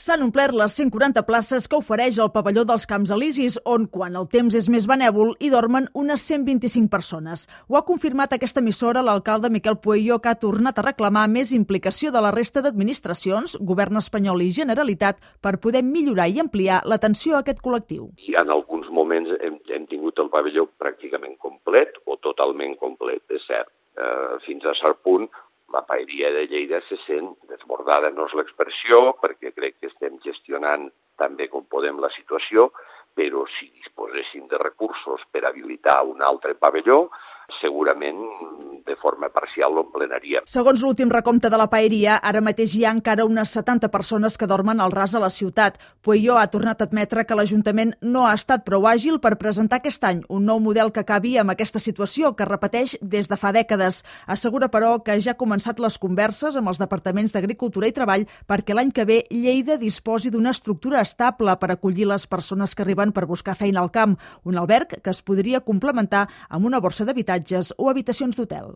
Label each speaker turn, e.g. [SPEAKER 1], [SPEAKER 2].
[SPEAKER 1] S'han omplert les 140 places que ofereix el pavelló dels Camps Elisis, on, quan el temps és més benèvol, hi dormen unes 125 persones. Ho ha confirmat aquesta emissora l'alcalde Miquel Pueyo, que ha tornat a reclamar més implicació de la resta d'administracions, govern espanyol i Generalitat, per poder millorar i ampliar l'atenció a aquest col·lectiu.
[SPEAKER 2] I en alguns moments hem tingut el pavelló pràcticament complet o totalment complet, és cert. Fins a cert punt, la paeria de Lleida se sent desbordada, no és l'expressió, perquè crec que estem gestionant tan bé com podem la situació, però si disposéssim de recursos per habilitar un altre pavelló, segurament de forma parcial l'emplenaríem.
[SPEAKER 1] Segons l'últim recompte de la paeria, ara mateix hi ha encara unes 70 persones que dormen al ras a la ciutat. Pueyo ha tornat a admetre que l'Ajuntament no ha estat prou àgil per presentar aquest any un nou model que acabi amb aquesta situació que repeteix des de fa dècades. Assegura, però, que ja ha començat les converses amb els departaments d'Agricultura i Treball perquè l'any que ve Lleida disposi d'una estructura estable per acollir les persones que arriben per buscar feina al camp, un alberg que es podria complementar amb una borsa d'habitatges o habitacions d'hotel.